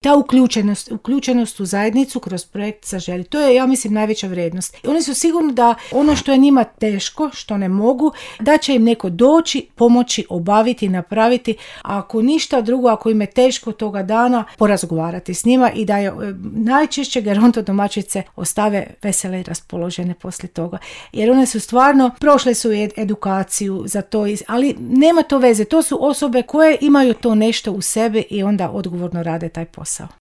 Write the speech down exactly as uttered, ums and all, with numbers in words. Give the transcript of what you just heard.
ta uključenost, uključenost u zajednicu kroz projekt Zaželi. To je, ja mislim, najveća vrijednost. Oni su sigurni da ono što je njima teško, što ne mogu, da će im neko doći, pomoći, obaviti, napraviti, a ako ništa drugo, ako im je teško toga dana, porazgovarati s njima i da je najčešće gerontodomaćice ostave vesele i raspoložene poslije toga. Jer one su stvarno, prošle su ed- edukaciju za to, ali nema to veze. To su osobe koje imaju to nešto u sebi i onda odgovorno rade taj posao.